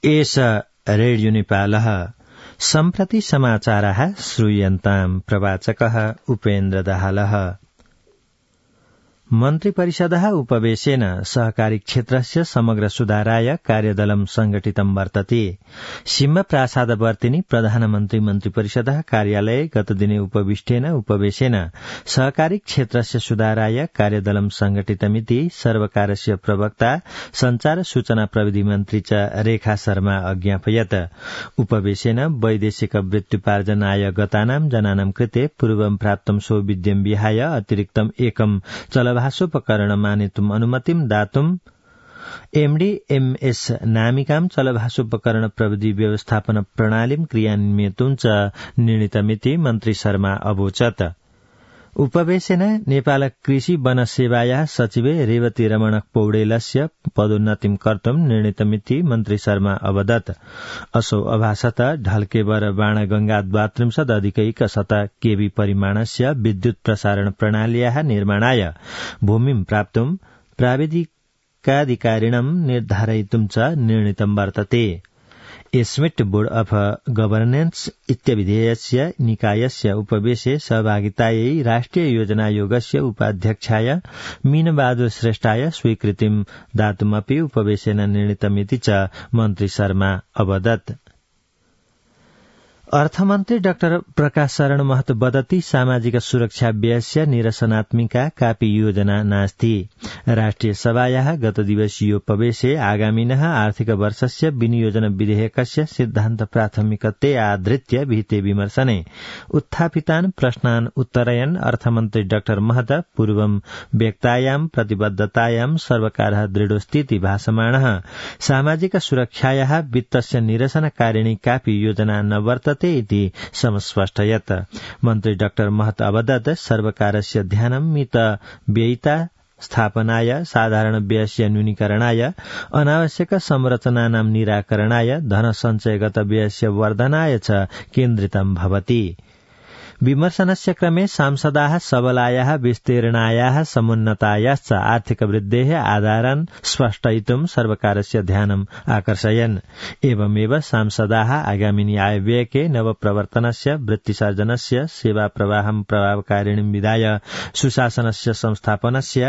एष रेडियो नेपालः सम्प्रति समाचारः श्रूयन्ताम् प्रवाचकः उपेन्द्र दाहालः। मन्त्रिपरिषदः उपवेशेन सहकारी क्षेत्रस्य समग्र सुधाराय कार्यदलं संगठितं वर्तते। सिंहप्रासादवर्तिनी प्रधानमन्त्री मन्त्रिपरिषदः कार्यालये गतदिने उपवेशेन सहकारी क्षेत्रस्य सुधाराय कार्यदलं संगठितमिति सर्वकारस्य प्रवक्ता संचार सूचना प्रविधि मन्त्री च रेखा शर्मा अज्ञापयत्। उपवेशेन वैदेशिक वृत्त्युपार्जनाय गतानां जनानां कृते पूर्वं प्राप्तं सौविध्यं विहाय अतिरिक्तम् एकं चलभाषोपकरणमानेतुम् अनुमतिं दातुम् एमडीएमएस नामिकां चलभाषोपकरण प्रविधि व्यवस्थापन प्रणालीं क्रियान्वयितुं च निर्णीतमिति मन्त्री शर्मा अवोचत्। उपवेशेन नेपाल कृषि वन सेवायाः सचिवे रेवती रमण पौडेलस्य पदोन्नतिं कर्तुं निर्णीतमिति मन्त्री शर्मा अवदत्। असौ अभासत ढल्केवर बाणगंगा 32 केवी परिमाणस्य विद्युत प्रसारण प्रणाल्याः निर्माणाय भूमिं प्राप्तुं प्राविधिकाधिकारिणं निर्धारयितुं च निर्णीतं वर्तते। एस्मिट् बोर्ड अफ गवर्नेन्स इत्यभिधेयस्य निकायस्य उपवेशे सहभागितायै राष्ट्रिय योजना आयोगस्य उपाध्यक्षाय मीनबहादुर श्रेष्ठाय स्वीकृतिं दातुमपि उपवेशेन निर्णीतमिति च मन्त्री शर्मा अवदत्। अर्थमन्त्री डाक्टर प्रकाश शरण महतो वदति सामाजिक सुरक्षा व्ययस्य निरसनात्मिका कापि योजना नास्ति। राष्ट्रिय सभायाः गत दिवसीयोपवेशे आगामिनः आर्थिक वर्षस्य विनियोजन विधेयकस्य सिद्धान्त प्राथमिकते आधृत्य विहिते विमर्शने उत्थापितान् प्रश्नान् उत्तरयन् अर्थमन्त्री डाक्टर महत पूर्वं व्यक्तायां प्रतिबद्धतायां सर्वकारः दृढोस्तीति भाषमाणः सामाजिक सुरक्षायाः वित्तस्य निरसनकारिणी कापि योजना न वर्तते इति समस्पष्टयत्। मन्त्री डाक्टर महत अवदत् सर्वकारस्य ध्यानं मित व्ययिता स्थापनाय साधारण व्ययस्य न्यूनीकरणाय अनावश्यक संरचनानां निराकरणाय धन सञ्चयगत व्ययस्य वर्धनाय च केन्द्रितं भवति। विमर्शनस्य क्रमे सांसदाः सबलायाः विस्तीर्णायाः समुन्नतायाश्च आर्थिक वृद्धेः आधारान् स्पष्टयितुं सर्वकारस्य ध्यानम् आकर्षयन्। एवमेव सांसदाः आगामिनी आयव्ययके नवप्रवर्तनस्य वृत्तिसर्जनस्य सेवा प्रवाहं प्रभावकारिणीं विधाय सुशासनस्य संस्थापनस्य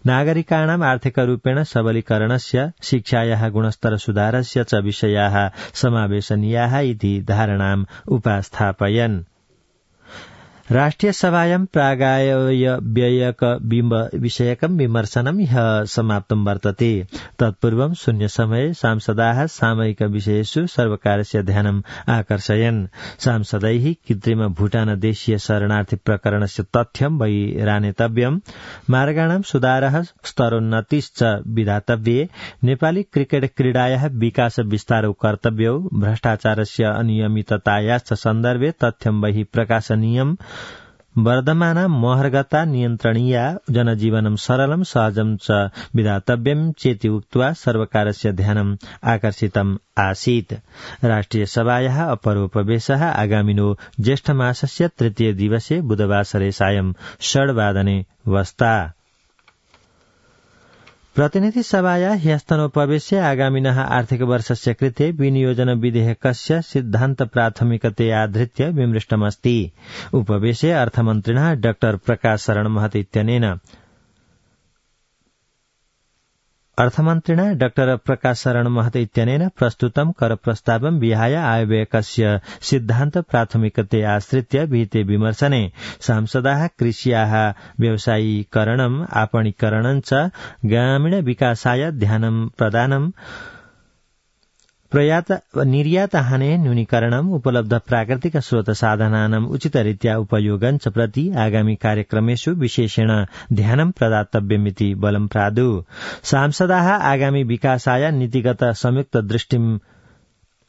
नागरिकाणाम् आर्थिकरूपेण सबलीकरणस्य शिक्षायाः गुणस्तर सुधारस्य च विषयाः समावेशनीयाः इति धारणाम् उपस्थापयन्। राष्ट्रिय सभायां प्रागायव्ययक विषयकं विमर्शनं ह्यः समाप्तं वर्तते। तत्पूर्वं शून्यसमये सांसदाः सामयिक विषयेषु सर्वकारस्य ध्यानम् आकर्षयन्। सांसदैः कृत्रिम भूटान देशीय शरणार्थी प्रकरणस्य तथ्यं बहिरानेतव्यम्, मार्गाणां सुधारः स्तरोन्नतिश्च विधातव्ये, नेपाली क्रिकेट क्रीडायाः विकास विस्तारौ कर्तव्यौ, भ्रष्टाचारस्य अनियमिततायाश्च सन्दर्भे तथ्यं बहिः प्रकाशनीयम्, वर्धमाना महर्गता नियन्त्रणीया, जनजीवनं सरलं सहजं च विधातव्यं चेति उक्त्वा सर्वकारस्य ध्यानम् आकर्षितम् आसीत्। राष्ट्रिय सभायाः अपरोपवेशः आगामिनो ज्येष्ठमासस्य 3 दिवसे बुधवासरे सायं 6:00 वस्ता। प्रतिनिधि सभायाः ह्यस्तनोपवेशे आगामिनः आर्थिक वर्षस्य कृते विनियोजन विधेयकस्य सिद्धान्त प्राथमिकते आधृत्य विमृष्टमस्ति। उपवेशे अर्थमन्त्रिणः डाक्टर प्रकाश शरण महत इत्यनेन प्रस्तुतं करप्रस्तावं विहाय आयव्ययकस्य सिद्धान्त प्राथमिकते आश्रित्य विहिते विमर्शने सांसदाः कृष्याः व्यवसायीकरणम् आपणीकरणं च ग्रामीण विकासाय ध्यानं प्रदानं निर्यातहाने न्यूनीकरणम् उपलब्ध प्राकृतिक स्रोत साधनानाम् उचितरीत्या उपयोगं च प्रति आगामी कार्यक्रमेषु विशेषेण ध्यानं प्रदातव्यमिति बलं प्रादु। सांसदाः आगामी विकासाय नीतिगत संयुक्त दृष्टिम्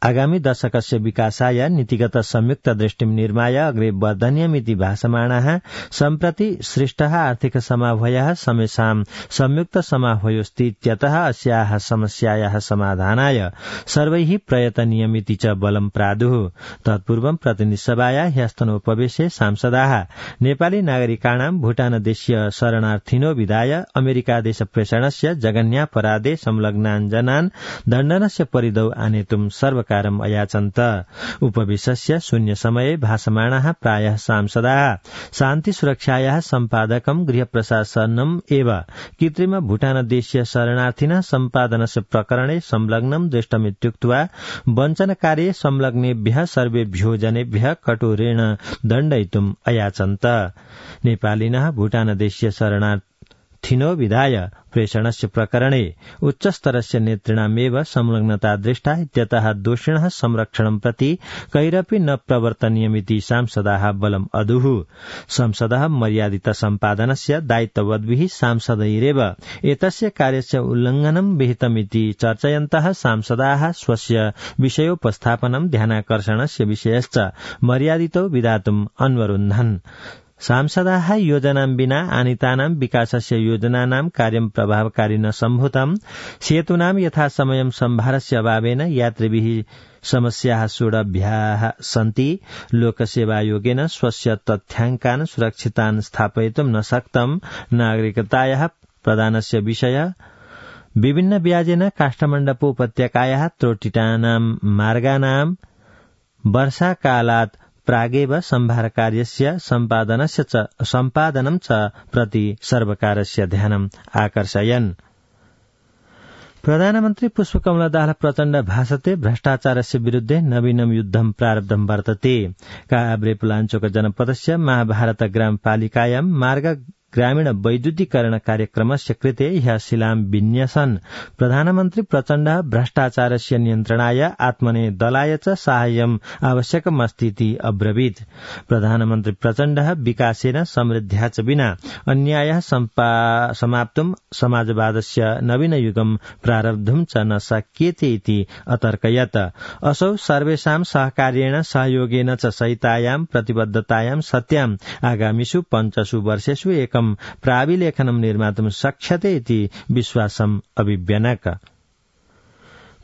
आगामी दशकस्य विकासाय नीतिगत संयुक्त दृष्टिं निर्माय अग्रे वर्धनीयमिति भाषमाणाः सम्प्रति सृष्टः आर्थिक समाह्वयः समेषां संयुक्त समाह्वयोस्तीत्यतः अस्याः समस्यायाः समाधानाय सर्वैः प्रयतनीयमिति च बलं प्रादुः। तत्पूर्वं प्रतिनिधिसभाया ह्यस्तनोपवेशे सांसदाः नेपाली नागरिकाणां भूटानदेशीय शरणार्थिनो विदाय अमेरिकादेश प्रेषणस्य जघन्यापराधे संलग्नान् दण्डनस्य परिधौ आनेतुं सर्वकारम् अयाचन्त। उपवेशस्य शून्य समये भाषमाणाः प्रायः सांसदाः शान्ति सुरक्षायाः सम्पादकं गृहप्रशासनम् एव कृत्रिम भूटानदेशीय शरणार्थिनः सम्पादनस्य प्रकरणे संलग्नं दृष्टमित्युक्त्वा वञ्चनकार्ये संलग्नेभ्यः सर्वेभ्यो जनेभ्यः कठोरेण दण्डयितुम् अयाचन्त। नेपालिनः भूटानदेशीय शरणार्थिनो विधाय प्रेषणस्य प्रकरणे उच्चस्तरस्य नेतृणामेव संलग्नता दृष्टा इत्यतः दोषिणः संरक्षणं प्रति कैरपि न प्रवर्तनीयमिति सांसदाः बलम् अदुः। संसदः मर्यादित सम्पादनस्य दायित्ववद्भिः सांसदैरेव एतस्य कार्यस्य उल्लङ्घनं विहितमिति चर्चयन्तः सांसदाः स्वस्य विषयोपस्थापनं ध्यानाकर्षणस्य विषयश्च मर्यादितो विधातुम् अन्वरुन्धन्। सांसदाः योजनां विना आनीतानां विकासस्य योजनानां कार्यं प्रभावकारी न सम्भूतम् सेतूनां यथासमयं सम्भारस्य अभावेन यात्रिभिः समस्याः सोढव्याः सन्ति। लोकसेवायोगेन स्वस्य तथ्याङ्कान् सुरक्षितान् स्थापयितुं न शक्तम्। नागरिकतायाः प्रदानस्य विषय विभिन्न व्याजेन काष्ठमण्डपोपत्यकायाः त्रोटिटानां मार्गानां वर्षाकालात् प्रागेव सम्भारकार्यस्य सम्पादनं च प्रति सर्वकारस्य ध्यानम् आकर्षयन्। प्रधानमन्त्री पुष्पकमल दाहाल प्रचण्ड भाषते भ्रष्टाचारस्य विरुद्धे नवीनं युद्धं प्रारब्धं वर्तते। काभ्रेपलाञ्चोक जनपदस्य महाभारत ग्रामपालिकायां मार्ग ग्रामीण वैद्युतीकरण कार्यक्रमस्य कृते ह्यः शिलां विन्यसन्। प्रधानमन्त्री प्रचण्ड भ्रष्टाचारस्य नियन्त्रणाय आत्मने दलाय च साहाय्यम् आवश्यकमस्तीति अब्रवीत्। प्रधानमन्त्री प्रचण्ड विकासेन समृद्ध्या च विना अन्यायः समाप्तुम् समाजवादस्य नवीनयुगं प्रारब्धुं च न शक्यते इति अतर्कयत्। असौ सर्वेषां सहकार्येण सहयोगेन च सहितायां प्रतिबद्धतायां सत्याम् आगामिषु 5 वर्षेषु एकं प्राविलेखनं निर्मातुं शक्यते इति विश्वासम् अभिव्यनक।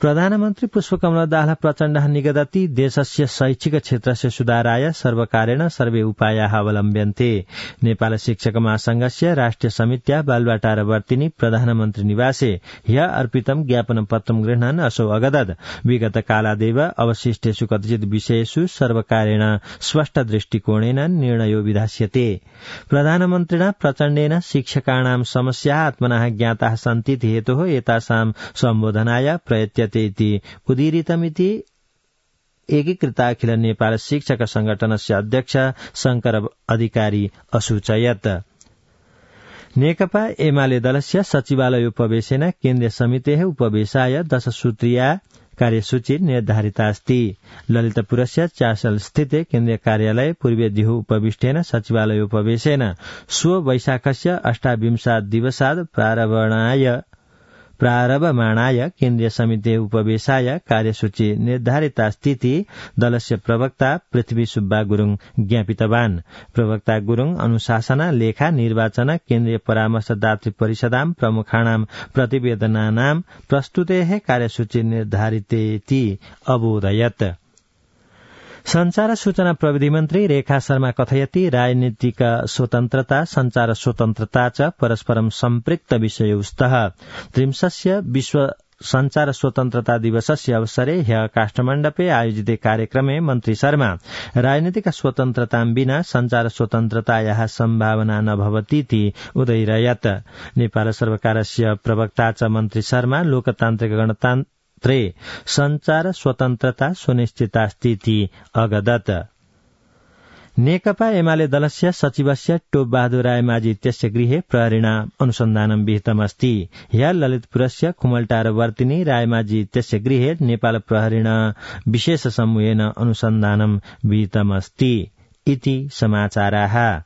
प्रधानमन्त्री पुष्पकमल दाहाल प्रचण्डः निगदति देशस्य शैक्षिक क्षेत्रस्य सुधाराय सर्वकारेण सर्वे उपायाः अवलम्ब्यन्ते। नेपाल शिक्षक महासंघस्य राष्ट्रिय समित्या बालुवाटारवर्तिनी प्रधानमन्त्री निवासे ह्यः अर्पितं ज्ञापनपत्रं गृह्णन् असौ अगदत्। विगत कालादेव अवशिष्टेषु कतिचित् विषयेषु सर्वकारेण स्पष्ट दृष्टिकोणेन निर्णयो विधास्यते। प्रधानमन्त्रिणा प्रचण्डेन शिक्षकाणां समस्याः आत्मनः ज्ञाताः सन्तीति हेतोः एतासां सम्बोधनाय प्रयत्यते इति उदीरितमिति एकीकृताखिल नेपाल शिक्षक संगठनस्य अध्यक्ष शंकर अधिकारी असूचयत्। नेकपा एमाले दलस्य सचिवालय उपवेशेन केन्द्रीय समितेः उपवेशाय 10 सूत्रीया कार्यसूची निर्धारितास्ति। ललितपुरस्य चासल स्थिते केन्द्रीय कार्यालय पूर्वीय दिहु उपविष्टेन सचिवालय उपवेशेन स्व वैशाखस्य 28 दिवसात् प्रारभमाणाय केन्द्रीय समिते उपवेशाय कार्यसूची निर्धारितास्तीति दलस्य प्रवक्ता पृथ्वी सुब्बा गुरुङ ज्ञापितवान्। प्रवक्ता गुरुङ अनुशासन लेखा निर्वाचन केन्द्रीय परामर्शदातृ परिषदां प्रमुखाणां प्रतिवेदनानां प्रस्तुतेः कार्यसूची निर्धारितेति अबोधयत्। संचार सूचना प्रविधि मन्त्री रेखा शर्मा कथयति राजनीतिक स्वतन्त्रता संचार स्वतन्त्रता च परस्परं सम्पृक्त विषयौ स्तः। 30 विश्व संचार स्वतन्त्रता दिवसस्य अवसरे ह्यः काष्ठमण्डपे आयोजिते कार्यक्रमे मन्त्री शर्मा राजनीतिक स्वतन्त्रतां विना संचार स्वतन्त्रतायाः सम्भावना न भवतीति उदयिरयत्। नेपाल सर्वकारस्य प्रवक्ता च मन्त्री शर्मा लोकतान्त्रिक गणतन्त्रे संचार स्वतन्त्रता सुनिश्चितास्तीति अगदत्। नेकपा एमाले दलस्य सचिवस्य टोप बहादुर रायमाझी इत्यस्य गृहे प्रहरिणा अनुसन्धानं विहितमस्ति। ह्यः ललितपुरस्य खुमलटारवर्तिनी रायमाझी इत्यस्य गृहे नेपाल प्रहरिणा विशेष समूहेन अनुसन्धानं विहितमस्ति इति समाचाराः।